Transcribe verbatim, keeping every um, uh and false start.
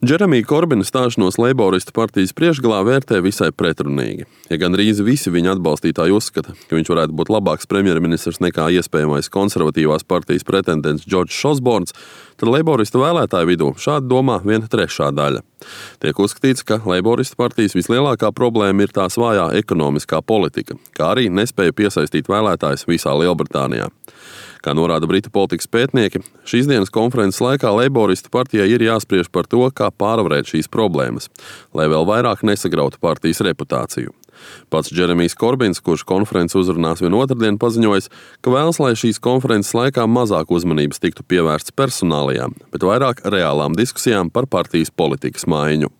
Džeremija Korbina stāšanos Leiboristu partijas priekšgalā vērtē visai pretrunīgi. Ja gandrīz visi viņa atbalstītāji uzskata, ka viņš varētu būt labāks premjerministrs nekā iespējamais konservatīvās partijas pretendents Džordžs Osborns, tad Leiboristu vēlētāju vidū šādi domā viena trešā daļa. Tiek uzskatīts, ka Leiboristu partijas vislielākā problēma ir tās vājā ekonomiskā politika, kā arī nespēja piesaistīt vēlētājus visā Lielbritānijā. Kā norāda britu politikas pētnieki, šīs dienas konferences laikā Leiboristu partijai ir jāspriež par to, kā pārvarēt šīs problēmas, lai vēl vairāk nesagrautu partijas reputāciju. Pats Džeremijs Korbins, kurš konferences uzrunās vien otrdien, paziņojis, ka vēlas, lai šīs konferences laikā mazāk uzmanības tiktu pievērsts personālijām, bet vairāk reālām diskusijām par partijas politikas maiņu.